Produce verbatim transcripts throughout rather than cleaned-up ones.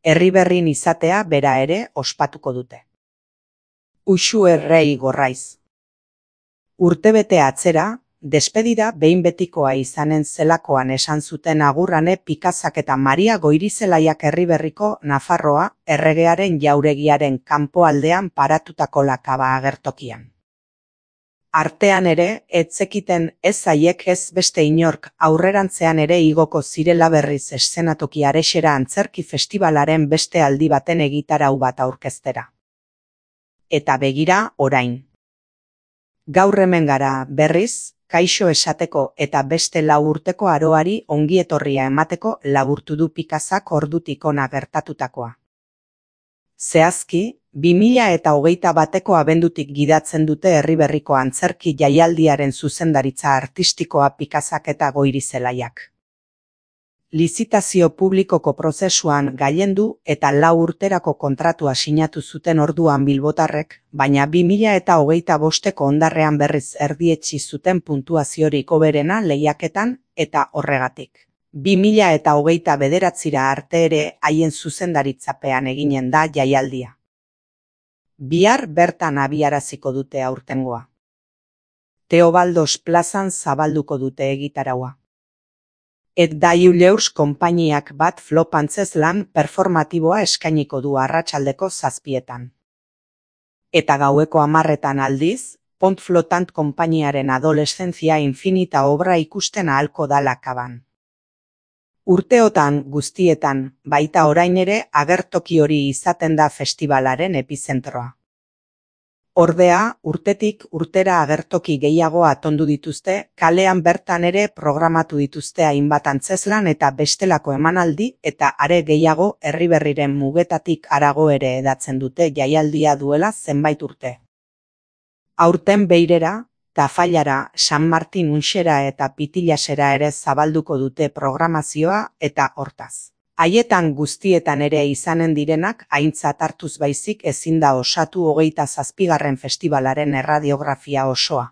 Erriberrin izatea bera ere ospatuko dute. Uxu errei gorraiz. Urtebete atzera, despedida behin betikoa izanen zelakoan esan zuten Agurrane Pikazak eta Maria Goirizelaiak Erriberriko Nafarroa erregearen jauregiaren kanpoaldean paratutako lakaba agertokian. Artean ere, ez zekiten ez haiek ez beste inork aurrerantzean ere igoko zirela berriz eszenatoki Arexera antzerki festibalaren beste aldi baten egitarau bat aurkeztera. Eta begira, orain. Gaur hemen gara, berriz, kaixo esateko eta beste lau urteko aroari ongietorria emateko laburtu du Pikazak ordutik hona gertatutakoa. Zehazki, bi mila eta hogeita bateko abendutik gidatzen dute Erriberriko antzerki jaialdiaren zuzendaritza artistikoa Pikazak eta Goirizelaiak. Lizitazio publikoko prozesuan gailendu eta lau urterako kontratua sinatu zuten orduan bilbotarrek, baina bi mila eta hogeita bosteko ondarrean berriz erdietsi zuten puntuaziorik hoberena lehiaketan eta horregatik. bi mila eta hogeita bederatzira arte ere haien zuzendaritzapean eginen da jaialdia. Bihar bertan abiaraziko dute aurtengoa. Teobaldos plazan zabalduko dute egitaraua. Et Daileurs konpainiak bat flop antzezlan performatiboa eskainiko du arratsaldeko zazpietan. Eta gaueko hamarretan aldiz, Pont Flotant konpainiaren adoleszentzia infinita obra ikusten ahalko da lakaban. Urteotan guztietan, baita orain ere agertoki hori izaten da festivalaren epizentroa. Ordea, urtetik urtera agertoki gehiago atondu dituzte, kalean bertan ere programatu dituzte hainbat antzezlan eta bestelako emanaldi eta are gehiago Erriberriren mugetatik harago ere edatzen dute jaialdia duela zenbait urte. Aurten Beirera, Tafallara, San Martin Unxera eta Pitilasera ere zabalduko dute programazioa eta hortaz. Haietan guztietan ere izanen direnak aintzat hartuz baizik ezin da osatu hogeita zazpigarren festivalaren erradiografia osoa.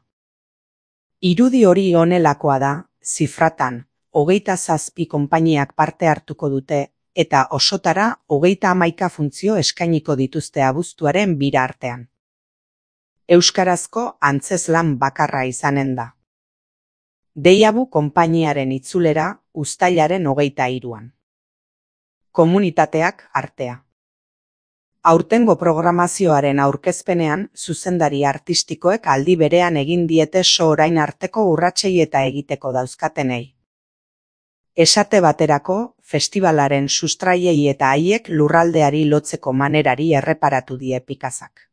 Irudi hori honelakoa da, zifratan, hogeita zazpi konpainiak parte hartuko dute eta osotara hogeita hamaika funtzio eskainiko dituzte abuztuaren bira artean. Euskarazko antzezlan bakarra izanen da. Deiabu konpainiaren itzulera uztailaren hogeita hiruan. Komunitateak artea. Aurtengo programazioaren aurkezpenean, zuzendari artistikoek aldi berean egin diete so orain arteko urratsei eta egiteko dauzkatenei. Esate baterako, festivalaren sustraiei eta haiek lurraldeari lotzeko manerari erreparatu die Pikazak.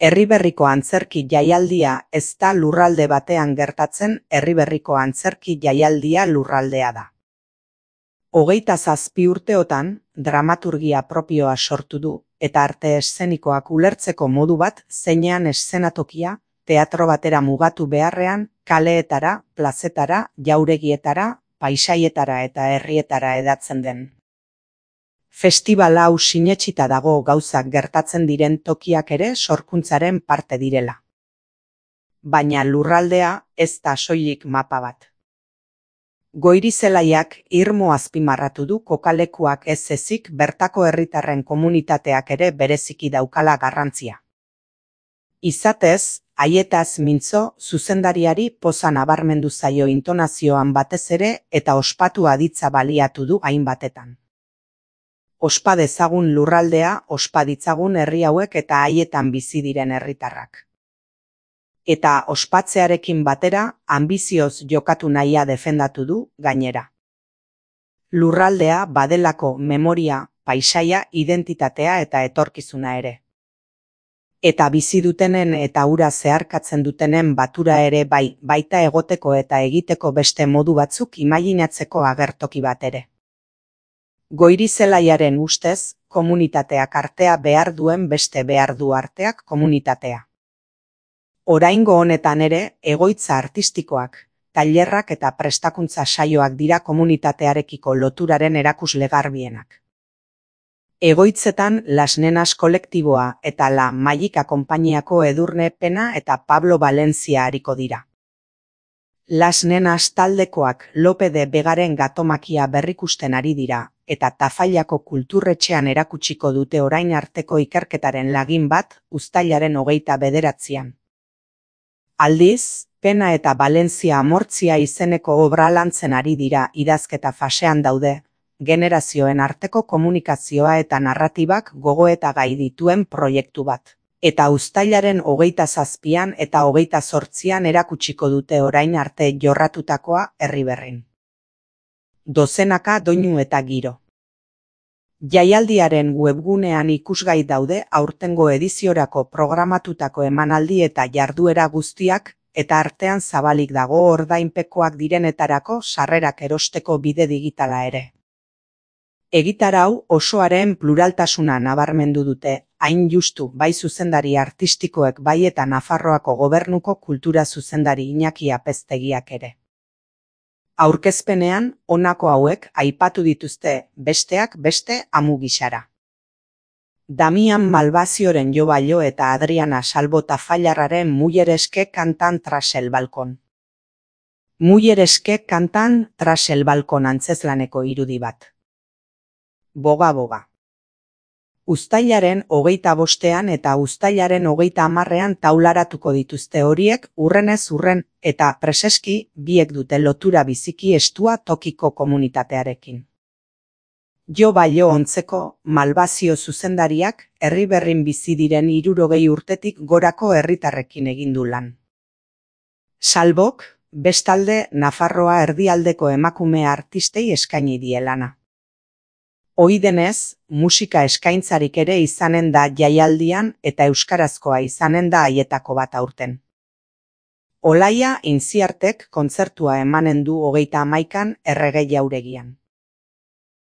Erriberriko antzerki jaialdia ez da lurralde batean gertatzen, Erriberriko antzerki jaialdia lurraldea da. Hogeita zazpi urteotan, dramaturgia propioa sortu du, eta arte eszenikoak ulertzeko modu bat zeinean eszenatokia, teatro batera mugatu beharrean, kaleetara, plazetara, jauregietara, paisaietara eta herrietara edatzen den. Festival hau sinetsita dago gauzak gertatzen diren tokiak ere sorkuntzaren parte direla. Baina lurraldea ez da soilik mapa bat. Goirizelaiak irmo azpimarratu du kokalekuak ez ezik bertako herritarren komunitateak ere bereziki daukala garrantzia. Izatez, haietaz mintzo zuzendariari poza nabarmendu zaio intonazioan batez ere eta ospatu aditza baliatu du hainbatetan. Ospa dezagun lurraldea, ospa ditzagun herri hauek eta haietan bizi diren herritarrak. Eta ospatzearekin batera, anbizioz jokatu nahia defendatu du, gainera. Lurraldea badelako memoria, paisaia, identitatea eta etorkizuna ere. Eta bizi dutenen eta hura zeharkatzen dutenen batura ere bai, baita egoteko eta egiteko beste modu batzuk imaginatzeko agertoki bat ere. Goirizelaiaren ustez, komunitateak artea behar duen beste behar du arteak komunitatea. Oraingo honetan ere, egoitza artistikoak, tailerrak eta prestakuntza saioak dira komunitatearekiko loturaren erakusle garbienak. Egoitzetan Las Nenas kolektiboa eta La Magika konpainiako Edurne Pena eta Pablo Valencia ariko dira. Las Nenas taldekoak Lope de Vegaren Gatomakia berrikusten ari dira, eta Tafallako kulturretxean erakutsiko dute orain arteko ikerketaren lagin bat uztailaren hogeita bederatzian. Aldiz, Pena eta Valentzia Amortzia izeneko obra lantzen ari dira idazketa fasean daude, generazioen arteko komunikazioa eta narratibak gogoeta gai dituen proiektu bat. Eta uztailaren hogeita zazpian eta hogeita zortzian erakutsiko dute orain arte jorratutakoa Herriberrin. Dozenaka doinu eta giro. Jaialdiaren webgunean ikusgai daude aurtengo ediziorako programatutako emanaldi eta jarduera guztiak, eta artean zabalik dago ordainpekoak direnetarako sarrerak erosteko bide digitala ere. Egitarau osoaren pluraltasuna nabarmendu dute, hain justu bai zuzendari artistikoek bai eta Nafarroako Gobernuko kultura zuzendari Iñaki Apeztegiak ere. Aurkezpenean, honako hauek aipatu dituzte, besteak beste amu gisara. Damian Malvazioren Jo Bailo eta Adriana Salbo Tafallarraren Mullereske kantan tras el balkon. Mullereske kantan tras el balkon antzezlaneko irudi bat. Boga-boga. Uztailaren hogeita bostean eta uztailaren hogeita hamarrean taularatuko dituzte horiek urrenez urren eta preseski biek dute lotura biziki estua tokiko komunitatearekin. Jo Bailo ontzeko Malvazio zuzendariak Herriberrin bizi diren hirurogei urtetik gorako herritarrekin egin du lan. Salbok, bestalde Nafarroa erdialdeko emakume artistei eskaini die lana. Ohi denez, musika eskaintzarik ere izanen da jaialdian eta euskarazkoa izanen da haietako bat aurten. Olaia Intziartek kontzertua emanen du hogeita hamaikan Errege Jauregian.